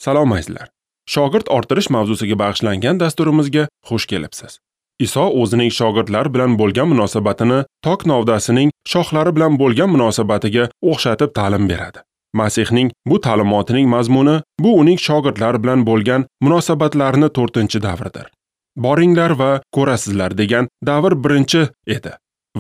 Salom azizlar. Shogird orttirish mavzusiga bag'ishlangan dasturimizga xush kelibsiz. Iso o'zining shogirdlar bilan bo'lgan munosabatini tok novdasining shoxlari bilan bo'lgan munosabatiga o'xshatib ta'lim beradi. Masihning bu ta'limotining mazmuni bu uning shogirdlar bilan bo'lgan munosabatlarini 4-davridir. Boringlar va ko'rasizlar degan davr birinchi edi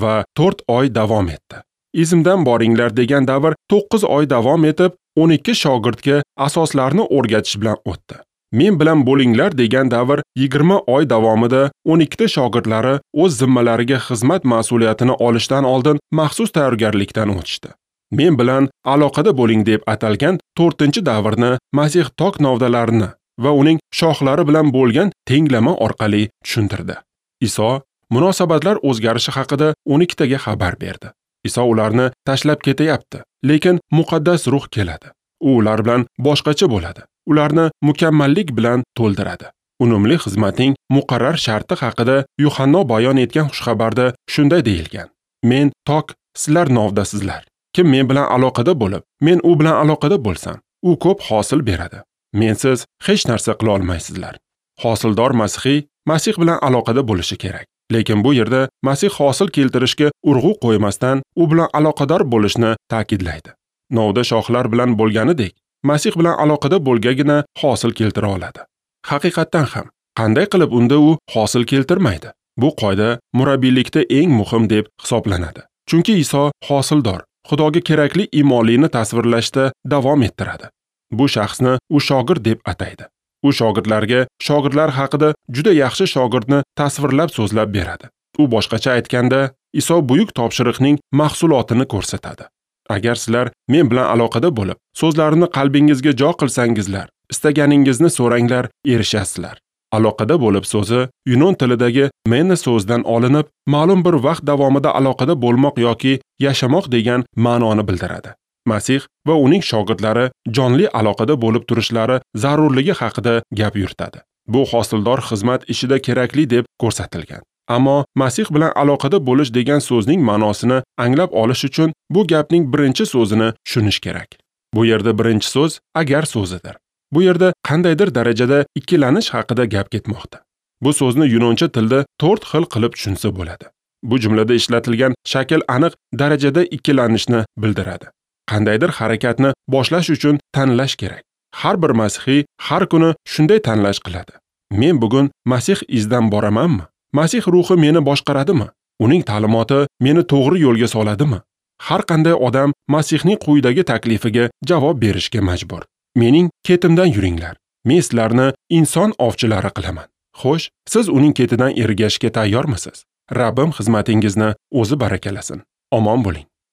va 4 oy davom etdi. Izimdan boringlar degan davr 9 oy davom etib, 12 shogirdga asoslarni o'rgatish bilan o'tdi. Men bilan bo'linglar degan davr 20 oy davomida 12 ta shogirdlari o'z zimmalariga xizmat mas'uliyatini olishdan oldin maxsus tayyorgarlikdan o'tishdi. Men bilan aloqada bo'ling deb atalgan 4-davrni Masih tok novdalarini va uning shoxlari bilan bo'lgan tenglama orqali tushuntirdi. Iso munosabatlar o'zgarishi haqida 12 taga xabar berdi. Iso ularni tashlab ketayapti, lekin muqaddas ruh keladi. U ular bilan boshqacha bo'ladi. Ularni mukammallik bilan to'ldiradi. Unumli xizmatning muqarrar sharti haqida Yuhanno bayon etgan xushxabarda shunday deyilgan: Men tok, sizlar novdasizlar. Kim men bilan aloqada bo'lib, men u bilan aloqada bo'lsam, u ko'p hosil beradi. Mensiz hech narsa qila olmaysizlar. Hosildor masihiy Masih bilan aloqada bo'lishi kerak. Lekin bu yerda Masih hosil keltirishga urg'u qo'ymasdan u bilan aloqador bo'lishni ta'kidlaydi. Novda shoxlar bilan bo'lganidek, Masih bilan aloqada bo'lgagina hosil keltira oladi. Haqiqatdan ham, qanday qilib unda u hosil keltirmaydi? Bu qoida murabbiylikda eng muhim deb hisoblanadi. Chunki Iso hosildor, Xudoga kerakli iymonlini tasvirlashda davom ettiradi. Bu shaxsni u shogird deb ataydi. U shogirdlarga shogirdlar haqida juda yaxshi shogirdni tasvirlab so'zlab beradi. U boshqacha aytganda, Iso buyuk topshiriqning mahsulotini ko'rsatadi. Agar sizlar men bilan aloqada bo'lib, so'zlarimni qalbingizga jo qilsangizlar, istaganingizni so'ranglar, erishasizlar. Aloqada bo'lib so'zi yunon tilidagi mena so'zidan olinib, ma'lum bir vaqt davomida aloqada bo'lmoq yoki yashamoq degan ma'noni bildiradi. Masih va uning shogirdlari jonli aloqada bo'lib turishlari zarurligi haqida gap yuritadi. Bu hosildor xizmat ishida kerakli deb ko'rsatilgan. Ammo Masih bilan aloqada bo'lish degan so'zning ma'nosini anglab olish uchun bu gapning birinchi so'zini tushunish kerak. Bu yerda birinchi so'z agar so'zidir. Bu yerda qandaydir darajada ikkilanish haqida gap ketmoqda. Bu so'zni yunoncha tilda 4 xil qilib tushunsa bo'ladi. Bu jumlada ishlatilgan shakl aniq darajada ikkilanishni bildiradi. Qandaydir harakatni boshlash uchun tanlash kerak. Har bir masihiy har kuni shunday tanlash qiladi. Men bugun Masih izidan boramanmi? Masih ruhi meni boshqaradimi? Uning ta'limoti meni to'g'ri yo'lga soladimi? Har qanday odam Masihning quyidagi taklifiga javob berishga majbur. Mening ketimdan yuringlar. Men sizlarni inson ovchilari qilaman. Xo'sh, siz uning ketidan ergashishga tayyormisiz? Rabbim xizmatingizni o'zi barakalasin. Omon bo'ling.